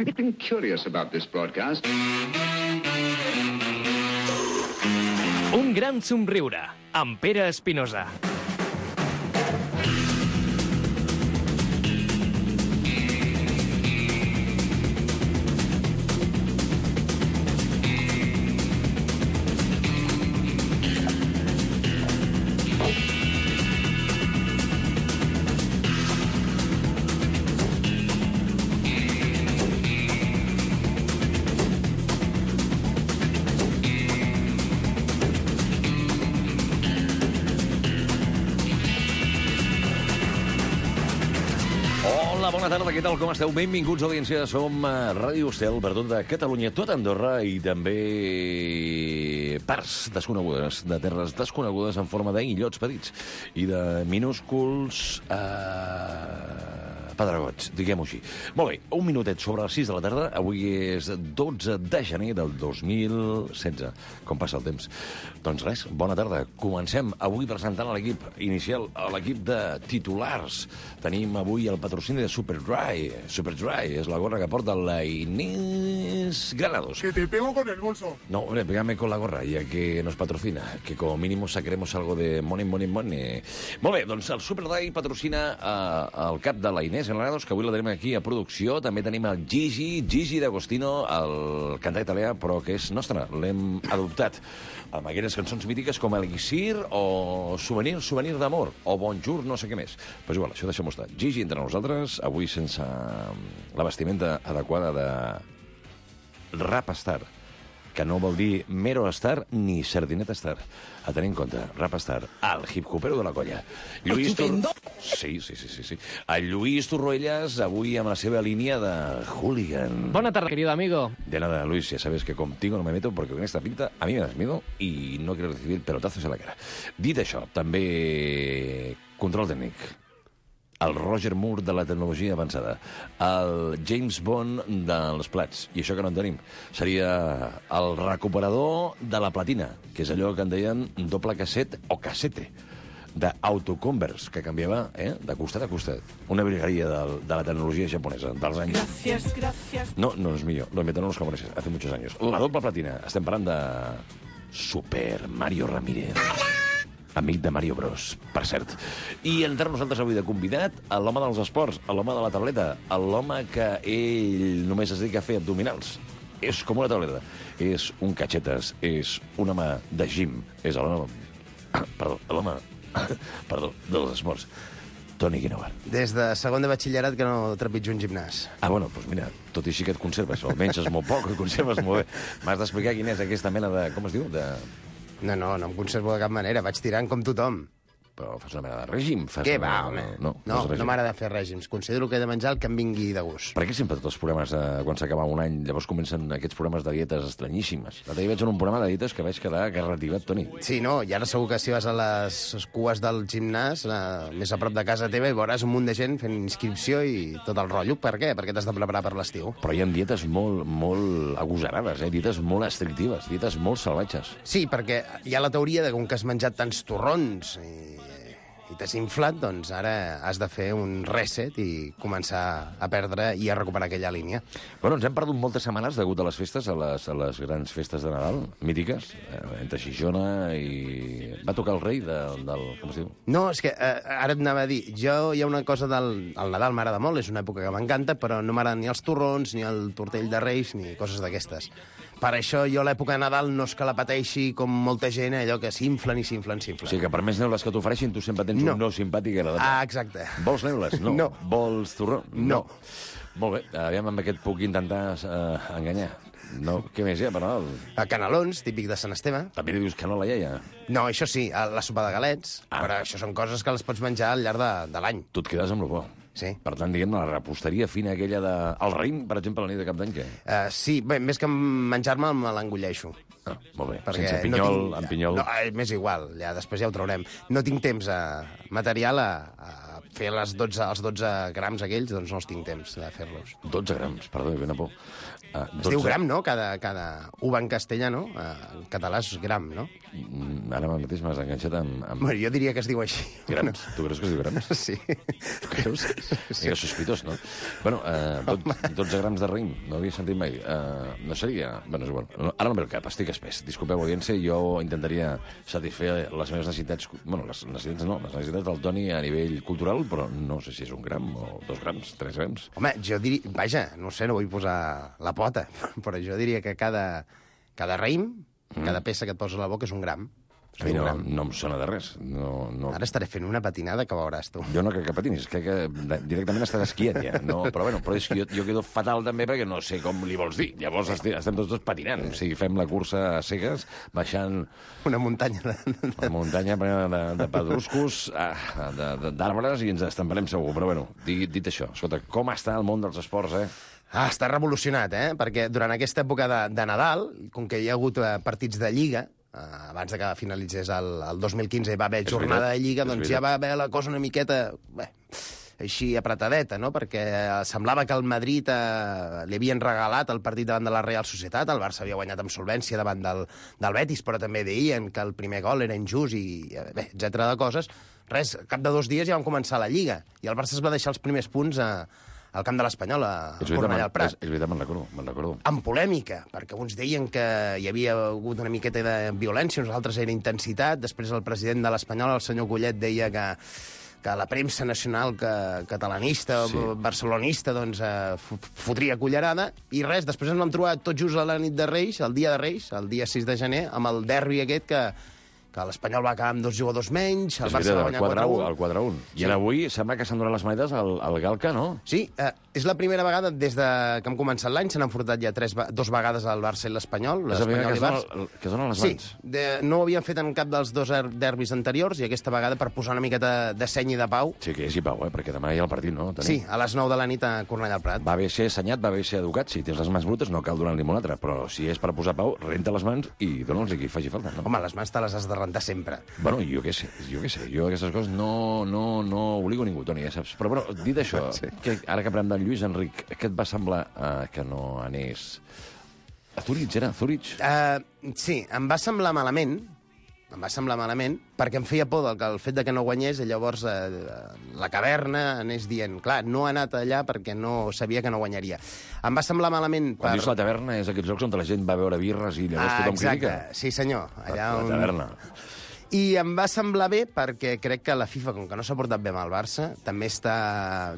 Anything curious about this broadcast? Un gran somriure, amb Pere Espinosa. Bona tarda, què tal, com esteu? Benvinguts, audiència. Som a Ràdio Estel, per tot de Catalunya, tot Andorra i també parts desconegudes, de terres desconegudes en forma d'illots petits i de minúsculs pedregots, diguem-ho així. Molt bé, un minutet sobre les 6 de la tarda. Avui és 12 de gener del 2016. Com passa el temps? Doncs res, bona tarda. Comencem avui presentant l'equip inicial, l'equip de titulars. Tenim avui el patrocini de Superdry. Superdry és la gorra que porta la Inés Granados. Que te pego con el bolso. No, hombre, pégame con la gorra, ya que nos patrocina, que como mínimo sacaremos algo de money. Molt bé, doncs el Superdry patrocina el cap de la Inés Granados, que avui la tenim aquí a producció. També tenim el Gigi D'Agostino, el cantant italià, però que és nostre. L'hem adoptat amb aquelles cançons mítiques com Elixir o Souvenir d'amor o Bonjour, no sé què més. Però igual, això deixem-ho estar. Gigi entre nosaltres, avui sense la vestimenta adequada de Rapstar, que no vol dir mero star ni sardineta star. A tenir en compte, Rapstar, el hip-hopero de la colla. Sí. El Lluís Torroellas, avui amb la seva línia de hooligan. Bona tarda, querido amigo. De nada, Luis, ya sabes que contigo no me meto porque con esta pinta a mí me das miedo y no quiero recibir pelotazos en la cara. Dit això, també control tècnic. El Roger Moore de la tecnologia avançada, el James Bond dels plats, i això que no en tenim, seria el recuperador de la platina, que és allò que en deien doble casset o casete, d'autoconverse, que canviava de costat a costat. Una virgueria de la tecnologia japonesa dels anys... Gracias. No es mío, lo inventaron los japoneses hace muchos años. La doble platina, estem parlant de Super Mario Ramírez. Amic de Mario Bros, per cert. I entre nosaltres avui de convidat, l'home dels esports, l'home de la tauleta, l'home que ell només es dedica a fer abdominals. És com una tauleta. És un catxetes, és un home de gym, és l'home dels esports. Toni Guinovart. Des de segon de batxillerat que no trepitjo un gimnàs. Bueno, doncs mira, tot i així que et conserves, o almenys és molt poc, et conserves molt bé. M'has d'explicar quina és aquesta mena de... Com es diu? No em conservo de cap manera, vaig tirant com tothom. Però fas una mena de règim? Què va, home? No m'agrada fer règims. Considero que he de menjar el que em vingui de gust. Per què sempre tots els programes, quan s'acaba un any, llavors comencen aquests programes de dietes estranyíssimes? L'altre dia vaig en un programa de dietes que vaig quedar garrativat, Toni. Sí, no, i ara segur que si vas a les cues del gimnàs, més a prop de casa teva, i veuràs un munt de gent fent inscripció i tot el rotllo. Per què? Perquè t'has de preparar per l'estiu. Però hi ha dietes molt agosarades, dietes molt estrictives, dietes molt salvatges. Sí, perquè hi ha la teoria de que com que has menjat tants torrons i t'has inflat, doncs ara has de fer un reset i començar a perdre i a recuperar aquella línia. Bueno, ens hem perdut moltes setmanes degut a les festes, a les grans festes de Nadal, mítiques, entre Xixona i... Va tocar el rei del... Com es diu? No, és que ara et anava a dir, jo hi ha una cosa del Nadal m'agrada molt, és una època que m'encanta, però no m'agraden ni els torrons, ni el tortell de Reis, ni coses d'aquestes. Per això jo l'època de Nadal no és que la pateixi com molta gent, allò que s'inflen. O sigui que per més neules que t'ofereixin, tu sempre tens un no simpàtic agradable. Exacte. Vols neules? No. Vols torró? No. Molt bé, aviam amb aquest puc intentar enganyar. No, què més hi ha per Nadal? Canelons, típic de Sant Esteve. També li dius canola, iaia? No, això sí, la sopa de galets, però això són coses que les pots menjar al llarg de l'any. Tu et quedes amb lo bo. Sí. Per tant, diguem-ne, la reposteria fina aquella de... El raïm, per exemple, la nit de Cap d'Any, què? Sí, bé, més que menjar-me, me l'engolleixo. Molt bé, perquè sense pinyol, amb pinyol... No, m'és igual, després ja ho traurem. No tinc temps material a fer els 12 grams aquells, doncs no els tinc temps de fer-los. 12 grams, perdó, ben a por. Es diu gram, no? Cada uva en castellà, no? En català és gram, no? Ara mateix m'has enganxat amb... Bueno, jo diria que es diu així. Grams. Tu creus que es diu grams? Sí. Tu creus? Sí. Era sospitós, no? Bueno, 12 grams de raïm, no havia sentit mai. No seria... Bueno, és igual. Ara no ve el cap, estic espès. Disculpeu, audiència, jo intentaria satisfer les meves necessitats... Bueno, les necessitats del Toni a nivell cultural, però no sé si és 1 gram o 2 grams, 3 grams. Home, jo diria... Vaja, no sé, no vull posar la pota, però jo diria que cada raïm, cada peça que et poses a la boca és 1 gram. A mi no em sona de res. No. Ara estaré fent una patinada que veuràs tu. Jo no crec que patinis, crec que directament estàs esquiant ja. No, però és que jo quedo fatal també perquè no sé com li vols dir. Llavors estem tots dos patinant. O sigui, fem la cursa a cegues, baixant... Una muntanya una muntanya plena de pedruscos, d'arbres, i ens estamparem segur. Però bueno, dit això, escolta, com està el món dels esports, està revolucionat, perquè durant aquesta època de Nadal, com que hi ha hagut partits de Lliga, abans de que finalitzés el 2015 hi va haver jornada de Lliga, doncs ja va haver la cosa una miqueta així apretadeta, no? Perquè semblava que el Madrid li havien regalat el partit davant de la Real Societat, el Barça havia guanyat amb solvència davant del Betis, però també deien que el primer gol era injust i etcètera de coses. Res, al cap de 2 dies ja van començar la Lliga i el Barça es va deixar els primers punts al camp de l'Espanyol, a Cornellà al Prat. És veritat, me'n recordo. Amb polèmica, perquè uns deien que hi havia hagut una miqueta de violència, uns altres era intensitat. Després el president de l'Espanyol, el senyor Collet, deia que la premsa nacional catalanista o barcelonista doncs, fotria cullerada, i res, després ens vam trobar tot just a la nit de Reis, el dia de Reis, el dia 6 de gener, amb el derbi aquest que l'Espanyol va acabar amb 2 jugadors menys, el Barça va guanyar 4-1. El 4-1. I ara avui sembla que s'han donat les manetes al Galca, no? Sí, és la primera vegada des que hem començat l'any, s'han enfrontat ja 2 vegades al Barça i l'Espanyol. És la primera que es donen les mans? Sí, no ho havien fet en cap dels 2 derbis anteriors, i aquesta vegada per posar una miqueta de seny i de pau. Sí, que hi hagi pau, perquè demà hi ha el partit, no? Sí, a les 9 de la nit a Cornellà al Prat. Va bé ser assenyat, va bé ser educat. Si tens les mans brutes no cal donar-li una altra, però si és per posar pau, renta les mans i dona'ls a qui faci falta, no? Home, les mans te les has de rentar sempre. Bueno, jo què sé. Jo aquestes coses no obligo ningú, Toni, ja saps. Però, bueno, dit això, ara que parlem del Lluís Enric, què et va semblar que no anés a Zurich, era? Zurich? Sí, em va semblar malament, perquè em feia por el fet de que no guanyés, i llavors la caverna anés dient, clar, no ha anat allà perquè no sabia que no guanyaria. Em va semblar malament... Quan dius la taverna és aquests llocs on la gent va a veure birres i llavors tothom critica? Exacte, sí senyor. La taverna. I em va semblar bé perquè crec que la FIFA, com que no s'ha portat bé amb el Barça, també està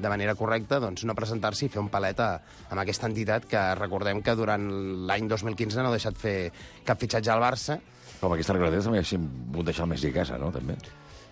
de manera correcta doncs, no presentar-s'hi i fer un palet amb aquesta entitat que recordem que durant l'any 2015 no ha deixat fer cap fitxatge al Barça. Com aquesta regulació també haguéssim pogut deixar el Messi a casa, no? També.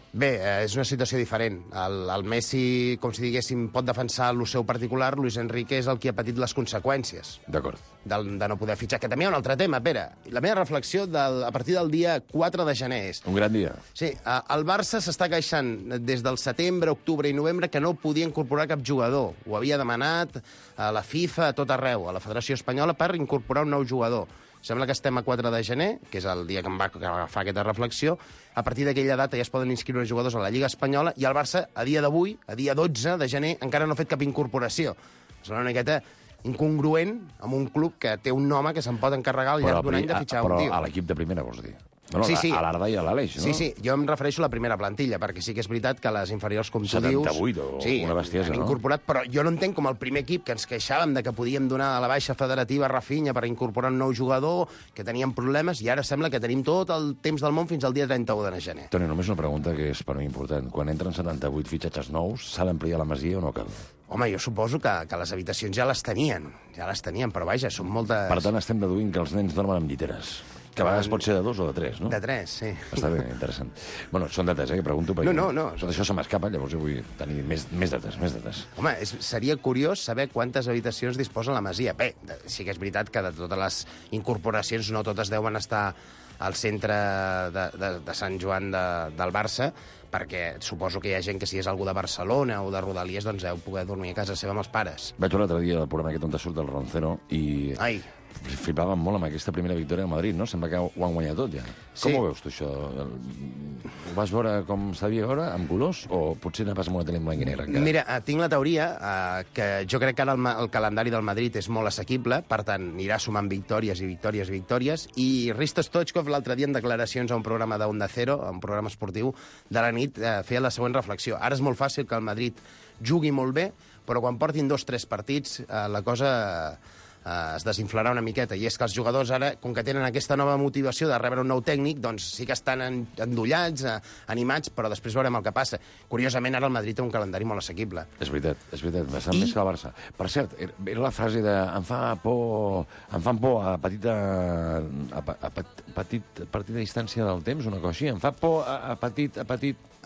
Bé, és una situació diferent. El Messi, com si diguéssim, pot defensar el seu particular, Luis Enrique és el qui ha patit les conseqüències. D'acord. De no poder fitxar. Que també hi ha un altre tema, Pere. La meva reflexió a partir del dia 4 de gener és... Un gran dia. Sí, el Barça s'està queixant des del setembre, octubre i novembre que no podia incorporar cap jugador. Ho havia demanat a la FIFA, a tot arreu, a la Federació Espanyola, per incorporar un nou jugador. Sembla que estem a 4 de gener, que és el dia que em va agafar aquesta reflexió. A partir d'aquella data ja es poden inscriure jugadors a la Lliga Espanyola i el Barça, a dia d'avui, a dia 12 de gener, encara no ha fet cap incorporació. És una miqueta incongruent amb un club que té un home que se'n pot encarregar al llarg d'un any de fitxar un tio. Però a l'equip de primera, vols dir? Bueno, sí. A l'Arda i a l'Aleix, no? Sí, jo em refereixo a la primera plantilla, perquè sí que és veritat que les inferiors, com tu dius... 78 o una bestiesa, han incorporat, però jo no entenc com el primer equip que ens queixàvem de que podíem donar a la baixa federativa Rafinha per incorporar un nou jugador, que teníem problemes, i ara sembla que tenim tot el temps del món fins al dia 31 de gener. Toni, només una pregunta que és per mi important. Quan entren 78 fitxatges nous, s'ha d'ampliar la masia o no cal? Home, jo suposo que les habitacions ja les tenien, però vaja, són moltes... Per tant, estem deduint que els nens dormen amb lliteres. Que a vegades pot ser de 2 o de 3, no? De 3, sí. Està bé, interessant. Bueno, són dates, que pregunto, perquè No. tot això se m'escapa, llavors jo vull tenir més dates. Home, seria curiós saber quantes habitacions disposa la masia. Bé, sí que és veritat que de totes les incorporacions no totes deuen estar al centre de Sant Joan del Barça, perquè suposo que hi ha gent que si és algú de Barcelona o de Rodalies, doncs deu poder dormir a casa seva amb els pares. Vaig veure l'altre dia el programa aquest on surt el Roncero i... Ai. Flipàvem molt amb aquesta primera victòria del Madrid, no? Sembla que ho han guanyat tot, ja. Sí. Com ho veus, tu, això? Ho vas veure com s'havia de veure, amb colors, o potser anaves amb una tele en blanc i negre, encara? Mira, tinc la teoria que jo crec que ara el calendari del Madrid és molt assequible, per tant, anirà sumant victòries i victòries i victòries, i Risto Stoichkov l'altre dia en declaracions a un programa d'Onda Cero, a un programa esportiu de la nit, feia la següent reflexió. Ara és molt fàcil que el Madrid jugui molt bé, però quan portin 2 o 3 partits la cosa es desinflarà una miqueta, i és que els jugadors ara, com que tenen aquesta nova motivació de rebre un nou tècnic, doncs sí que estan endollats, animats, però després veurem el que passa. Curiosament, ara el Madrid té un calendari molt assequible. És veritat, bastant més que el Barça. Per cert, era la frase de em fan por a petita distància del temps, una cosa així, em fa por a petit...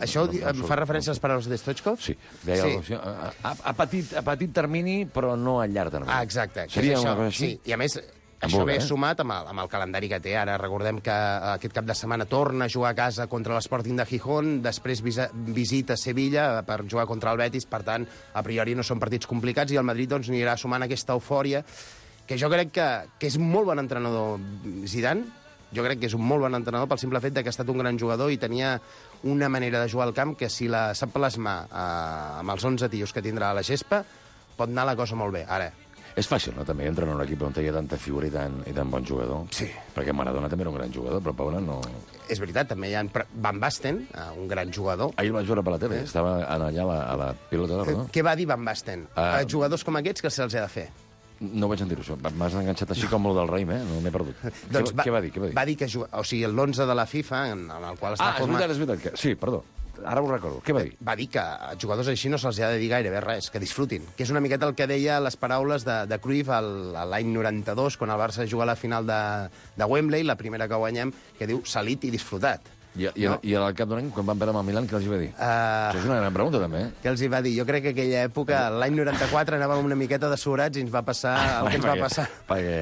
Això fa referència a les paraules de Stoichkov? Sí, deia sí. A petit termini, però no a llarg termini. Ah, exacte. Seria això, una cosa així? Sí, i a més, això ve sumat amb el calendari que té ara. Recordem que aquest cap de setmana torna a jugar a casa contra l'Sporting de Gijón, després visita Sevilla per jugar contra el Betis, per tant, a priori no són partits complicats, i el Madrid doncs, anirà sumant aquesta eufòria, que jo crec que és molt bon entrenador Zidane. Jo crec que és un molt bon entrenador pel simple fet que ha estat un gran jugador i tenia una manera de jugar al camp que si la sap plasmar amb els 11 tios que tindrà a la gespa, pot anar la cosa molt bé. Ara, és fàcil, no?, també, entrenar un equip on hi ha tanta figura i tan bon jugador. Sí. Perquè Maradona també era un gran jugador, però Paula no... És veritat, també hi ha Van Basten, un gran jugador. Ahir el vaig veure per la tele, estava allà a la pilota d'or, no? Què va dir Van Basten? Jugadors com aquests, que se'ls ha de fer? No vaig sentir-ho, això. M'has enganxat així com el del Raïm, No m'he perdut. Doncs què va dir? Va dir que l'11 de la FIFA, en el qual està format... És veritat. Sí, perdó. Ara ho recordo. Què va dir? Va dir que a jugadors així no se'ls ha de dir gairebé res, que disfrutin. Que és una miqueta el que deia les paraules de Cruyff l'any 92, quan el Barça juga a la final de Wembley, la primera que guanyem, que diu salit i disfrutat. I al cap d'un any, quan van perdre amb el Milan, què els va dir? Això és una gran pregunta, també. Què els hi va dir? Jo crec que aquella època, l'any 94, anàvem una miqueta de sobrats i ens va passar el que ens va passar. Perquè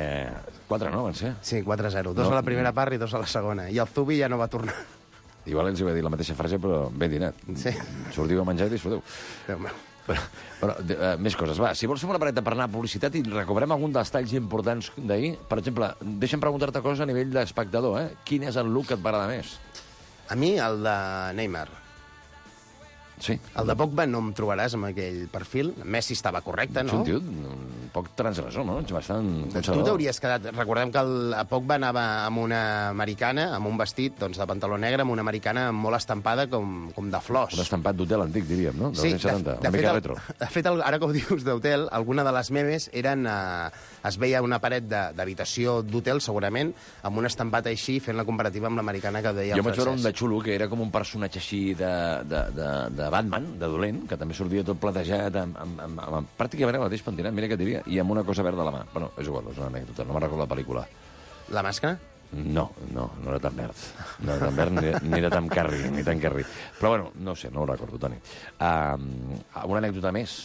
4, no, van ser? Sí, 4-0. 2 a la primera part i 2 a la segona. I el Zubi ja no va tornar. Igual ens hi va dir la mateixa frase, però ben dinat. Sí. Sortiu a menjar i disfruteu. Déu meu. Però més coses. Va, si vols fer una pareta per anar a publicitat i recuperem algun dels talls importants d'ahir, per exemple, deixa'm preguntar-te coses a nivell d'espectador, Quin és el look que et va agradar més? A mi, el de Neymar. Sí. El de Pogba no em trobaràs amb aquell perfil. Messi estava correcte, no? És un tio un poc transgressor, no? Bastant conservador. Tu t'hauries quedat... Recordem que a Pogba anava amb una americana, amb un vestit de pantaló negre, amb una americana molt estampada com de flors. Un estampat d'hotel antic, diríem, no? Sí, una mica retro. De fet, ara que ho dius d'hotel, alguna de les memes eren... Es veia una paret d'habitació d'hotel, segurament, amb un estampat així, fent la comparativa amb l'americana que deia el francès. Jo vaig veure un de xulo, que era com un personatge així de Batman, de dolent, que també sortia tot platejat, amb pràcticament el mateix pentinat, mira què et diria, i amb una cosa verda a la mà. Bueno, és igual, és una anècdota, no me'n recordo la pel·lícula. La màscara? No era tan verd. No era tan verd ni era tan carri, Però bueno, no sé, no ho recordo, Toni. Una anècdota més.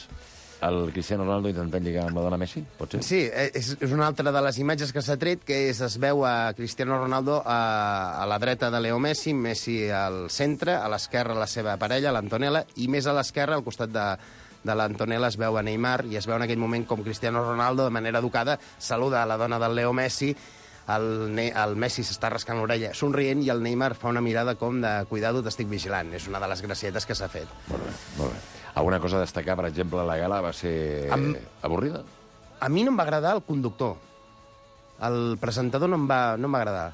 El Cristiano Ronaldo intentant lligar amb la dona Messi, pot ser? Sí, és una altra de les imatges que s'ha tret, que es veu a Cristiano Ronaldo a la dreta de Leo Messi, Messi al centre, a l'esquerra la seva parella, l'Antonella, i més a l'esquerra, al costat de l'Antonella, es veu a Neymar, i es veu en aquell moment com Cristiano Ronaldo, de manera educada, saluda a la dona del Leo Messi, el Messi s'està rascant l'orella somrient i el Neymar fa una mirada com de cuidado, t'estic vigilant. És una de les gracietes que s'ha fet. Molt bé, molt bé. Alguna cosa a destacar, per exemple, la gala va ser avorrida? A mi no em va agradar el conductor. El presentador no em va agradar.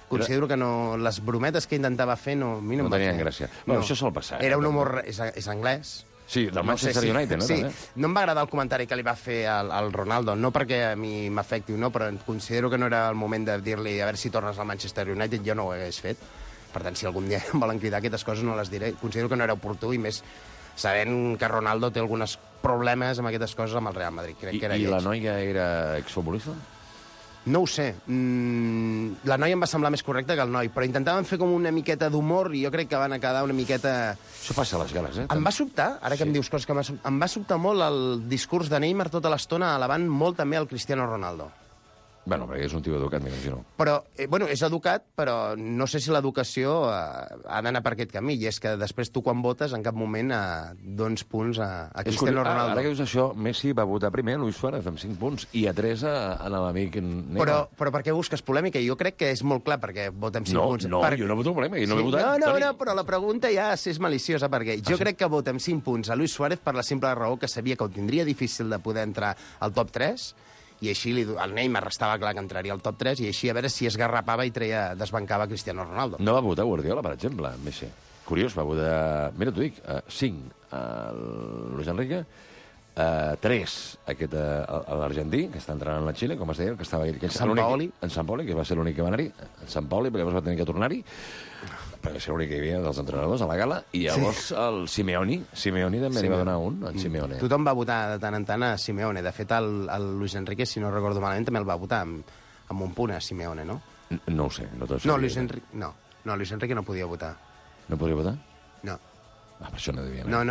Considero que les brometes que intentava fer no tenien gràcia. Bueno, això sol passar. Era un humor... És anglès. Sí, del Manchester United, no? Sí, no em va agradar el comentari que li va fer al Ronaldo, no perquè a mi m'afecti o no, però considero que no era el moment de dir-li a veure si tornes al Manchester United, jo no ho hagués fet. Per tant, si algun dia em volen cridar aquestes coses no les diré. Considero que no era oportú, i més sabent que Ronaldo té alguns problemes amb aquestes coses amb el Real Madrid. Crec que era I la noia era exfutbolista? No ho sé. La noia em va semblar més correcta que el noi, però intentaven fer com una miqueta d'humor i jo crec que van quedar una miqueta... Això passa a les gales, Em va sobtar, ara que em dius coses que em va sobtar molt el discurs de Neymar tota l'estona alabant molt també el Cristiano Ronaldo. Bueno, perquè és un tio educat, m'imagino. Però, bueno, és educat, però no sé si l'educació ha d'anar per aquest camí. I és que després tu, quan votes, en cap moment dones punts a Cristiano Ronaldo. Ara que dius això, Messi va votar primer a Luis Suárez amb 5 punts i a 3 a l'amic Neymar. Però per què busques polèmica? Jo crec que és molt clar perquè votem 5 punts. No, jo no voto polèmica, jo no l'he votat. No, però la pregunta ja és maliciosa, perquè jo crec que votem 5 punts a Luis Suárez per la simple raó que sabia que ho tindria difícil de poder entrar al top 3, i així el Neymar estava clar que entraria al top 3, i així a veure si esgarrapava i desbancava Cristiano Ronaldo. No va votar Guardiola, per exemple, Messi. Curiós, va votar... Mira, t'ho dic, 5 al Luis Enrique, 3 a l'argentí, que està entrant a la Xile, com es deia, que estava ell... Sampaoli. En Sampaoli, que va ser l'únic que va anar-hi. En Sampaoli, perquè llavors va tenir que tornar-hi, perquè va ser l'únic que hi havia dels entrenadors a la gala, i llavors el Simeone també li va donar un, en Simeone. Tothom va votar de tant en tant a Simeone. De fet, el Luis Enrique, si no recordo malament, també el va votar amb un punt a Simeone, no? No ho sé, no tot No, Luis Enrique no podia votar. No podria votar? No. Per això no devia No.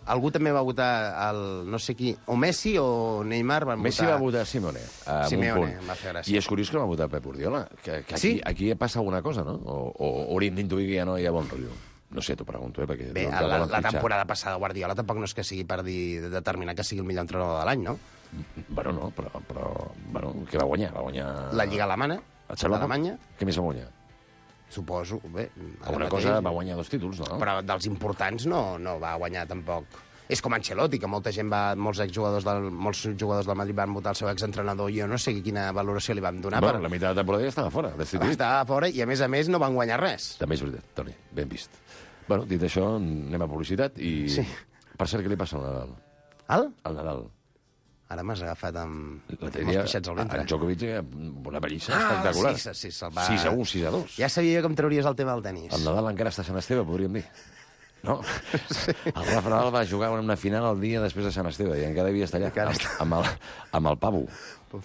Algú també va votar no sé qui, o Messi o Neymar van votar... Messi va votar Simeone, Simeone, em va fer gràcia. I és curiós que no va votar Pep Guardiola, que aquí passa alguna cosa, no? O hauríem d'intuir que ja no hi ha bon rotllo. No sé, t'ho pregunto, perquè... Bé, la temporada passada Guardiola tampoc no és que sigui per determinar que sigui el millor entrenador de l'any, no? Bueno, no, però que va guanyar? La Lliga Alemanya. Alemanya? Què més va guanyar? Suposo, bé... Alguna cosa va guanyar 2 títols, no? Però dels importants no va guanyar tampoc. És com Ancelotti, que molts jugadors del Madrid van votar el seu exentrenador, i jo no sé quina valoració li van donar. Bueno, la meitat de temporada ja estava fora, destituït. Estava fora i, a més, no van guanyar res. També és veritat, Toni, ben vist. Bueno, dit això, anem a publicitat i... Sí. Per cert, què li passa al Nadal? Al Nadal. Ara m'has agafat amb els dia, pixets al ventre. En Djokovic, una pallissa espectacular. Sí, se'l va... 6-1, 6-2. Ja sabia com trauries el tema del tenis. El Nadal encara està a Sant Esteve, podríem dir. No? Sí. El Rafa Nadal va jugar una final el dia després de Sant Esteve i encara devia estar allà, amb el Pabu.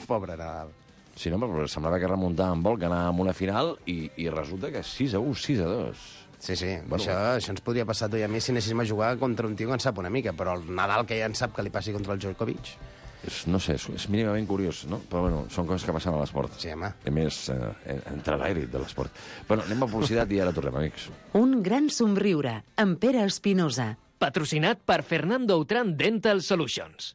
Pobre Nadal. Sí, no, però semblava que remuntava en vol, que anava a una final i resulta que 6-1, 6-2. Sí, bueno, això ens podria passar a tu i a mi si anéssim a jugar contra un tio que en sap una mica, però el Nadal que ja en sap que li passi contra el Djokovic... No sé, és mínimament curiós, no? Però bueno, són coses que passen a l'esport. Sí, home. A més, entre l'àrit de l'esport. Bueno, anem a publicitat i ara tornem, amics. Un gran somriure, amb Pere Espinosa. Patrocinat per Fernando Autran Dental Solutions.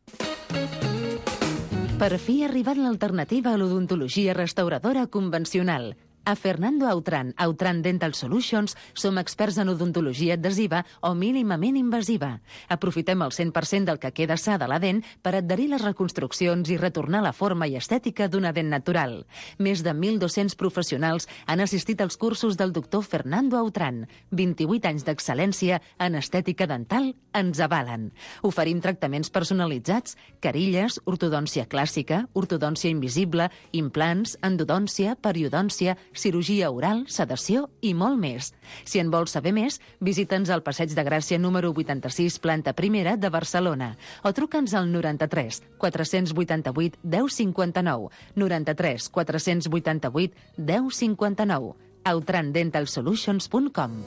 Per fi ha arribat l'alternativa a l'odontologia restauradora convencional. A Fernando Autran Dental Solutions som experts en odontologia adhesiva o mínimament invasiva. Aprofitem el 100% del que queda sa de la dent per adherir les reconstruccions i retornar la forma i estètica d'una dent natural. Més de 1.200 professionals han assistit als cursos del doctor Fernando Autran. 28 anys d'excel·lència en estètica dental ens avalen. Oferim tractaments personalitzats, carilles, ortodòncia clàssica, ortodòncia invisible, implants, endodòncia, periodòncia, cirurgia oral, sedació i molt més. Si en vols saber més, visita'ns al Passeig de Gràcia número 86, planta primera de Barcelona, o truca'ns al 93 488 1059, 93 488 1059, autrandentalsolutions.com.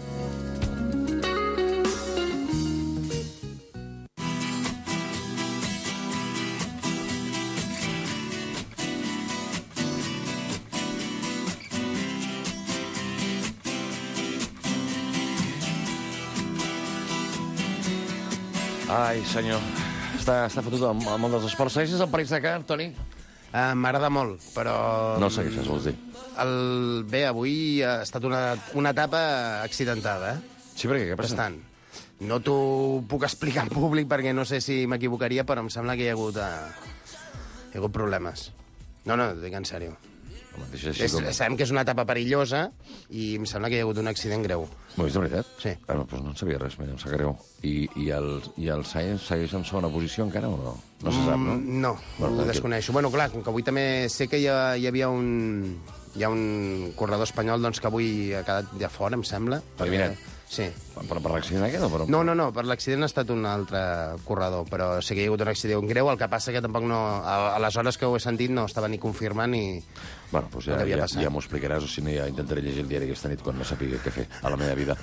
Ai, senyor. Està fotut el món dels esports. Segueixes el Paris-Dakar, Toni? M'agrada molt, però... No el segueixes, vols dir? Bé, avui ha estat una etapa accidentada, Sí, perquè què passa? Bastant. No t'ho puc explicar en públic perquè no sé si m'equivocaria, però em sembla que hi ha hagut problemes. No, dic en sèrio. Sabem que és una etapa perillosa i em sembla que hi ha hagut un accident greu. M'ho vist de veritat? Sí. Doncs no en sabia res, em sap greu. I el Sainz segueix en segona posició encara o no? No se sap, no? No, ho desconeixo. Bueno, clar, com que avui també sé que hi havia un corredor espanyol doncs, que avui ha quedat ja fora, em sembla. Eliminat. Sí. Però per l'accident aquest o per... No, per l'accident ha estat un altre corredor, però sí que hi ha hagut un accident greu, el que passa que tampoc no... A les hores que ho he sentit no estava ni confirmant ni... Bueno, doncs ja m'ho explicaràs, o si no ja intentaré llegir el diari aquesta nit quan no sàpiga què fer a la meva vida.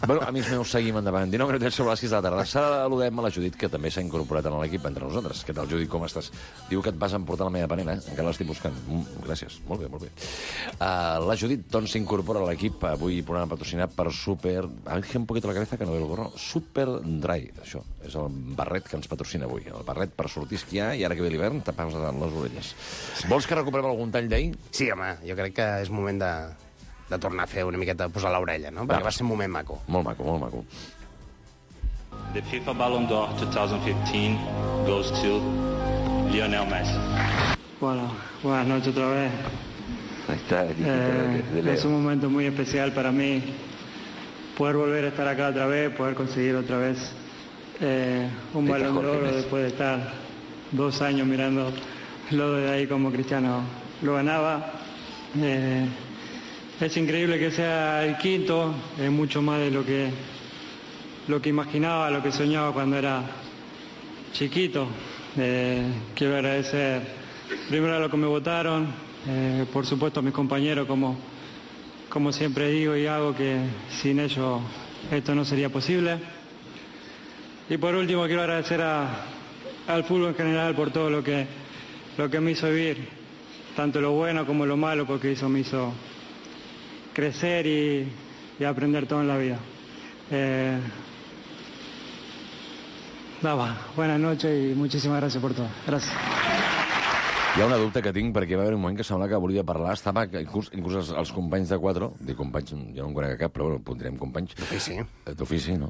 Bueno, amics meus, seguim endavant. 19 minutets sobre les 6 de la tarda. Saludem a la Judit, que també s'ha incorporat en l'equip entre nosaltres. Què tal, Judit, com estàs? Diu que et vas emportar la meva panera, encara l'estic buscant. Gràcies, molt bé, molt bé. La Judit, doncs, s'incorpora a l'equip, avui programa patrocinat per Super... Ángel un poquito la cabeza que no veo el gorro. Super Dry, això. És el barret que ens patrocina avui. El barret per sortir a esquiar i ara que ve l'hivern tapar les orelles. Vols que recuperem algun tall d'ahir? Sí, home, jo crec que és moment de tornar a fer una miqueta, posar l'orella, no? Perquè va ser un moment maco. Molt maco, molt maco. The FIFA Ballon d'Or 2015 goes to Lionel Messi. Bueno, buenas noches otra vez. Ahí está, es un momento muy especial para mí poder volver a estar acá otra vez, poder conseguir otra vez un Balón de Oro después de estar 2 años mirando lo de ahí como Cristiano lo ganaba. Es increíble que sea el quinto, es mucho más de lo que imaginaba, lo que soñaba cuando era chiquito. Quiero agradecer primero a los que me votaron, por supuesto a mis compañeros, como siempre digo y hago, que sin ellos esto no sería posible. Y por último quiero agradecer al fútbol en general por todo lo que me hizo vivir, tanto lo bueno como lo malo, porque me hizo crecer y aprender todo en la vida. Buenas noches i muchísimas gracias por todo. Gracias. Hi ha una dubte que tinc, perquè va haver un moment que semblava que volia parlar, estava inclús els companys de Quatro, dic companys, jo no en conec cap, però bueno, pondrem companys. D'ofici, no?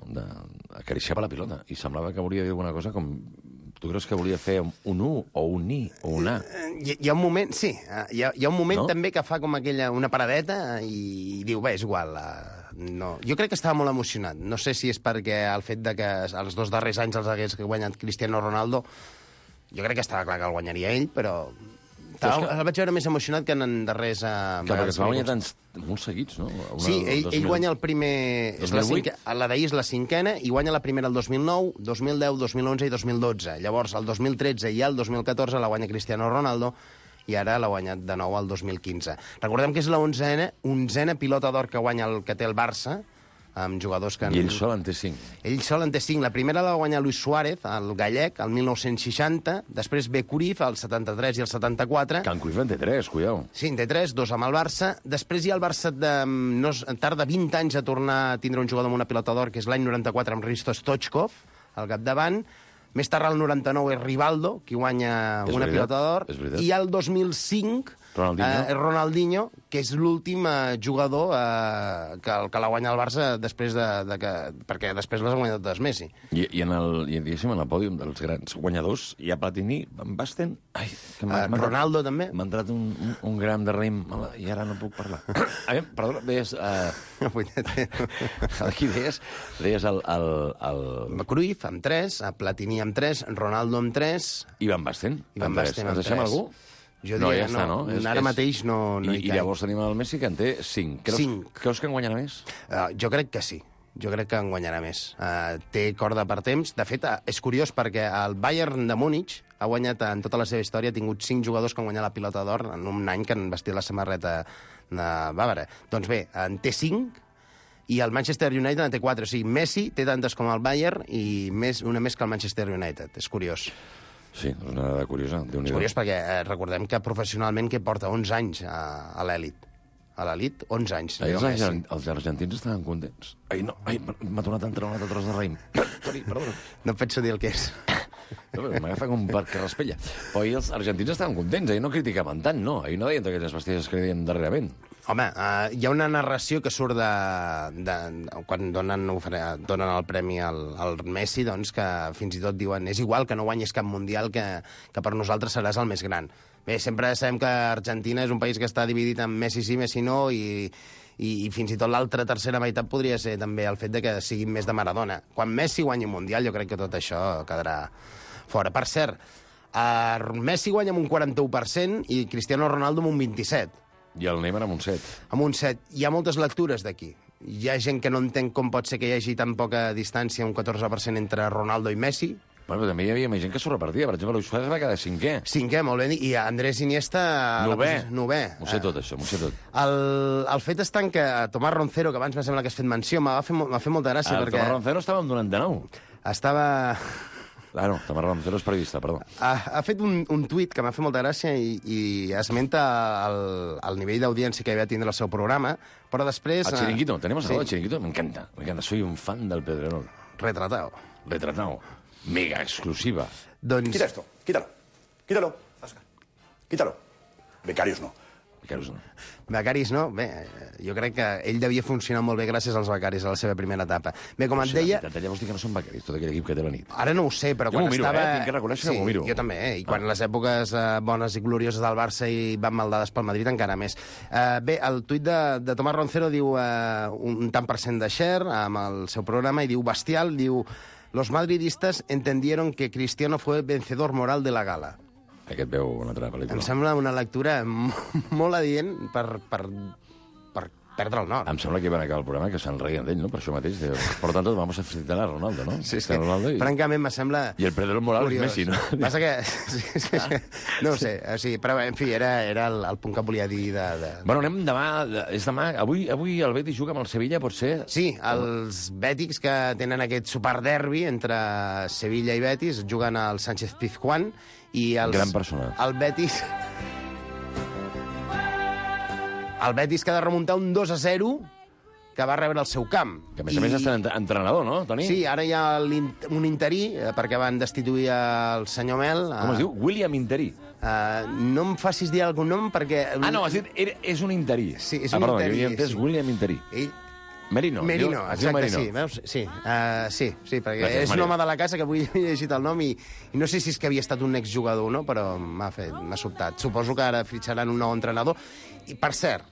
Acariciava la pilota, i semblava que volia dir alguna cosa com... Tu creus que volia fer un U o un I o un A? Hi ha un moment, sí. Hi ha un moment no? també que fa com una paradeta i diu, bé, és igual. No. Jo crec que estava molt emocionat. No sé si és perquè el fet de que els 2 darrers anys els hagués guanyat Cristiano Ronaldo, jo crec que estava clar que el guanyaria ell, però... El vaig veure més emocionat que en darrers... perquè es va guanyar molts seguits, no? Sí, ell guanya el primer... La d'ahir és la 5a i guanya la primera el 2009, 2010, 2011 i 2012. Llavors, el 2013 i el 2014 la guanya Cristiano Ronaldo i ara l'ha guanyat de nou el 2015. Recordem que és la 11a pilota d'or que guanya que té el Barça, amb jugadors que... I ell sol en té 5. Ell sol en té 5. La primera la va guanyar Luis Suárez, el gallec, el 1960. Després ve Cruyff, el 73 i el 74. Can Cruyff en té 3, cuidao. Sí, en té 3, 2 amb el Barça. Després hi ha el Barça tarda 20 anys a tornar a tindre un jugador amb una pilota d'or, que és l'any 94 amb Hristo Stoichkov, al capdavant. Més tard, el 99, és Rivaldo, qui guanya una pilota d'or. I el 2005... Ronaldinho, que és l'últim jugador que l'ha guanyat el Barça després perquè després les ha guanyat totes Messi. I diguéssim, en el pòdium dels grans guanyadors hi ha Platini, Van Basten... Ronaldo, també. M'ha entrat un gram de raïm i ara no puc parlar. Perdona, deies... Aquí deies el... Cruyff amb 3, Platini amb 3, Ronaldo amb 3... I Van Basten? I Van Basten amb 3. Ens deixem algú? Jo diria que no. Ara mateix no hi I llavors tenim el Messi, que en té 5. Creus que en guanyarà més? Jo crec que sí. Jo crec que en guanyarà més. Té corda per temps. De fet, és curiós perquè el Bayern de Múnich ha guanyat en tota la seva història, ha tingut 5 jugadors que han guanyat la pilota d'or en un any que han vestit la samarreta de Bàvara. Doncs bé, en té 5 i el Manchester United en té 4. O sigui, Messi té tantes com el Bayern i una més que el Manchester United. És curiós. Sí, és una dada curiosa. És curiós perquè recordem que professionalment que porta 11 anys a l'elit. A l'elit, 11 anys. Els argentins estaven contents. M'ha tornat a entrar un altre tros de raïm. Toni, perdona. No penso dir el que és. M'agafa com per carraspella. Però els argentins estaven contents, no criticaven tant, no? Ahir no deien totes aquelles bestieses que deien darrerament. Home, hi ha una narració que surt quan donen el premi al Messi, doncs, que fins i tot diuen és igual que no guanyis cap mundial, que per nosaltres seràs el més gran. Bé, sempre sabem que Argentina és un país que està dividit en Messi sí, Messi no, i fins i tot l'altra tercera meitat podria ser també el fet de que siguin més de Maradona. Quan Messi guanyi un mundial, jo crec que tot això quedarà fora. Per cert, Messi guanya amb un 41% i Cristiano Ronaldo amb un 27%. I el Neymar amb un 7. Amb un 7. Hi ha moltes lectures d'aquí. Hi ha gent que no entén com pot ser que hi hagi tan poca distància, un 14% entre Ronaldo i Messi. Bueno, però també hi havia gent que s'ho repartia. Per exemple, Luis Suárez va quedar 5è. 5è, molt ben dit. I Andrés Iniesta... 9è. M'ho sé tot, això, m'ho sé tot. El fet és tant que Tomàs Roncero, que abans m'ha semblat que has fet menció, m'ha fet molta gràcia perquè... Tomàs Roncero estava amb 99. Estava... Ah, no, Tomàs Roncero és periodista, perdó. Ha fet un tuit que m'ha fet molta gràcia i esmenta el nivell d'audiència que va tindre el seu programa, però després... El Chiringuito, tenemos algo del Chiringuito, me encanta. Soy un fan del Pedrerol. Retratado. Mega exclusiva. Doncs... Quita esto, quítalo, Óscar, quítalo. Becarios no. Becaris, no? Bé, jo crec que ell devia funcionar molt bé gràcies als becaris a la seva primera etapa. Bé, com et deia... Llavors dic que no són becaris, tot aquell equip que té la nit. Ara no ho sé, però jo quan estava... Tinc que reconèixer que m'ho miro. Jo també, i quan les èpoques bones i glorioses del Barça i van maldades pel Madrid encara més. Bé, el tuit de Tomàs Roncero diu un tant per cent de share amb el seu programa i diu bestial, diu... Los madridistas entendieron que Cristiano fue vencedor moral de la gala. Aquest veu una altra pel·lícula. Em sembla una lectura molt adient per perdre el nord. Em sembla que van acabar el programa que se'n reien d'ell, no? Per això mateix. Per tant, vamos a felicitar a Ronaldo, no? Sí, francament, me sembla... I el perdedor moral és Messi, no? Passa que... No ho sé, sí, però, en fi, era el punt que volia dir de... Bueno, anem demà... És demà... Avui el Betis juga amb el Sevilla, pot ser? Sí, els bètics que tenen aquest superderbi entre Sevilla i Betis juguen al Sánchez Pizjuán i els... Gran persona. El Betis que ha de remuntar un 2-0 que va rebre al seu camp. Que a més està entrenador, no, Toni? Sí, ara hi ha un interí, perquè van destituir el senyor Mel. Com es diu? William Interí. No em facis dir algun nom perquè... Ah, no, has dit, és un interí. Sí, és un perdó, interí. Jo havia entès William Interí. Merino, exacte, Merino. sí, veus? Sí, perquè gràcies, és un home de la casa que avui he llegit el nom i no sé si és que havia estat un exjugador o no, però m'ha sobtat. Suposo que ara fitxaran un nou entrenador. I, per cert,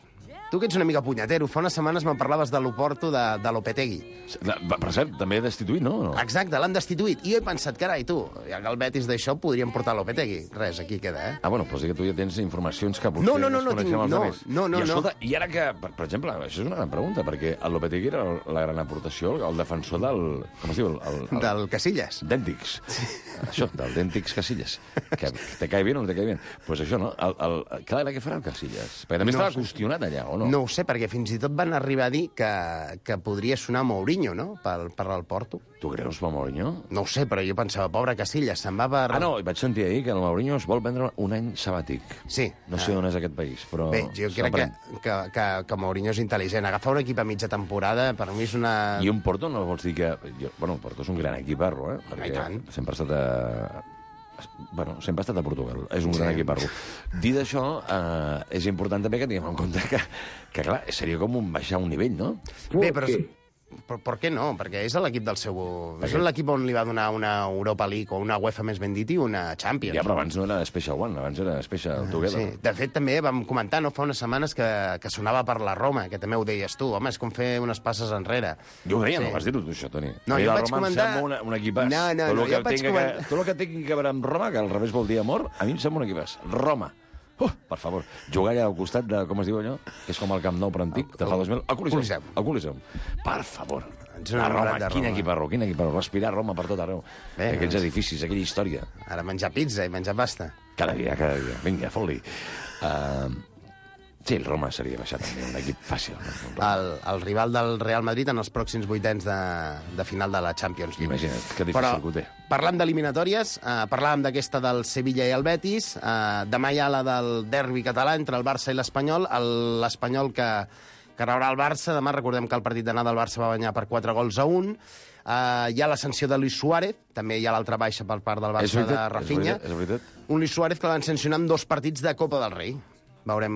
tu que ets una mica punyatero, fa unes setmanes me'n parlaves de l'Oporto de Lopetegui. Per cert, també destituït, no? Exacte, l'han destituït. I jo he pensat, carai, tu, ja que el Betis d'això podríem portar Lopetegui. Res, aquí queda, Ah, bueno, però sí que tu ja tens informacions que potser no, coneixem els altres. No. I escolta, i ara que, per exemple, això és una gran pregunta, perquè el Lopetegui era la gran aportació, el defensor del... Com es diu? Del Casillas. Dèntics. Això, del Dèntics Casillas. Que te cae bien o no te cae bien? Pues això, no? Clar, què farà el Casillas? Perquè també estava qüestionat allà, o no? No ho sé, perquè fins i tot van arribar a dir que podria sonar Mourinho, no?, per al Porto. Tu creus, per Mourinho? No ho sé, però jo pensava, pobre Casillas, se'n va per... Ah, no, vaig sentir ahir que el Mourinho es vol prendre un any sabàtic. Sí. No sé on és aquest país, però... Bé, jo crec que Mourinho és intel·ligent. Agafar un equip a mitja temporada, per mi és una... I un Porto no vols dir que... Bueno, el Porto és un gran equiparro, perquè sempre ha estat sempre ha estat a Portugal. És un gran equiparro. Dit això, és important també que tinguem en compte que clar, seria com baixar un nivell, no? Bé, però per què no? Perquè és l'equip del seu... És l'equip on li va donar una Europa League o una UEFA, més ben dit, i una Champions. Ja, però abans no era Special One, abans era Special Together. Sí. De fet, també vam comentar, no fa unes setmanes, que sonava per la Roma, que també ho deies tu. Home, és com fer unes passes enrere. Jo ho deia, no vas dir-ho, tu, això, Toni. No, jo vaig comentar... un equipàs. No, jo vaig comentar... Tot el que tingui que veure amb Roma, que al revés vol dir amor, a mi em sembla un equipàs. Roma. Per favor, jugar allà al costat de, com es diu allò? Que és com el Camp Nou, però antic, de fa 2000. El Coliseum. Per favor. A Roma, quin equiparro. Respirar Roma per tot arreu. Aquells edificis, aquella història. Ara menjar pizza i menjar pasta. Cada dia. Vinga, fot-li. Sí, el Roma seria baixar també un equip fàcil. El rival del Real Madrid en els pròxims vuitens de final de la Champions League. Imagina't, que difícil que ho té. Parlant d'eliminatòries, parlàvem d'aquesta del Sevilla i el Betis, demà hi ha la del derbi català entre el Barça i l'Espanyol, l'Espanyol que rebrà el Barça, demà recordem que el partit d'anada del Barça va guanyar per 4-1, hi ha la sanció de Luis Suárez, també hi ha l'altra baixa per part del Barça de Rafinha, un Luis Suárez que l'han sancionat amb 2 partits de Copa del Rei. Veurem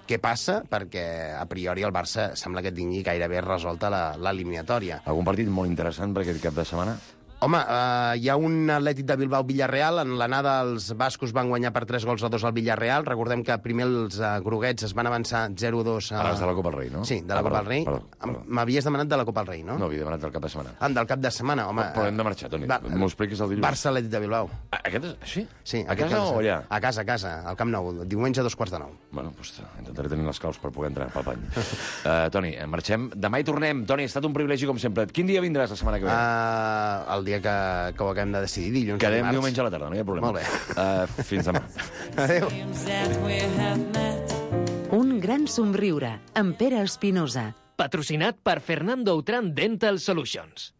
què passa, perquè a priori el Barça sembla que tingui gairebé resolta l'eliminatòria. Algun partit molt interessant per aquest cap de setmana? Home, hi ha un Atlètic de Bilbao-Villarreal. En l'anada els bascos van guanyar per 3-2 al Villarreal. Recordem que primer els groguets es van avançar 0-2 a... Parles de la Copa del Rei, no? Sí, de la Copa del Rei. Perdó. M'havies demanat de la Copa del Rei, no? No, havia demanat del cap de setmana. Del cap de setmana, home. Però hem de marxar, Toni. M'ho expliquis el dilluns. Barça-Atlètic de Bilbao. Aquest és així? Sí. A casa o allà? A casa, al Camp Nou. Diumenge a 8:45. Bueno, doncs intentaré tenir les claus per poder entrar pel pany. Toni, marxem. Demà hi tornem. Toni, ha estat un privilegi, com sempre. Quin dia vindràs la setmana que ve? El dia que ho acabem de decidir, dilluns. Quedem diumenge a la tarda, no hi ha problema. Molt bé. Fins demà. Adéu. Un gran somriure, amb Pere Espinosa. Patrocinat per Fernando Outram Dental Solutions.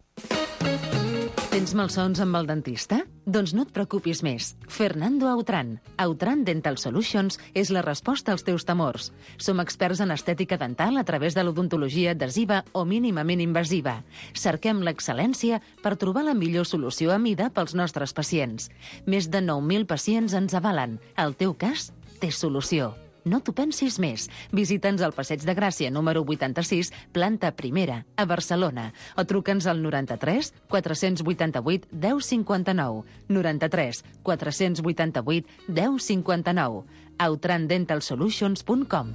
Tens malsons amb el dentista? Doncs no et preocupis més. Fernando Outram. Outram Dental Solutions és la resposta als teus temors. Som experts en estètica dental a través de l'odontologia adhesiva o mínimament invasiva. Cerquem l'excel·lència per trobar la millor solució a mida pels nostres pacients. Més de 9.000 pacients ens avalen. El teu cas té solució. No t'ho pensis més. Visita'ns al Passeig de Gràcia, número 86, planta primera, a Barcelona. O truca'ns al 93 488 1059. 93 488 1059. outramdentalsolutions.com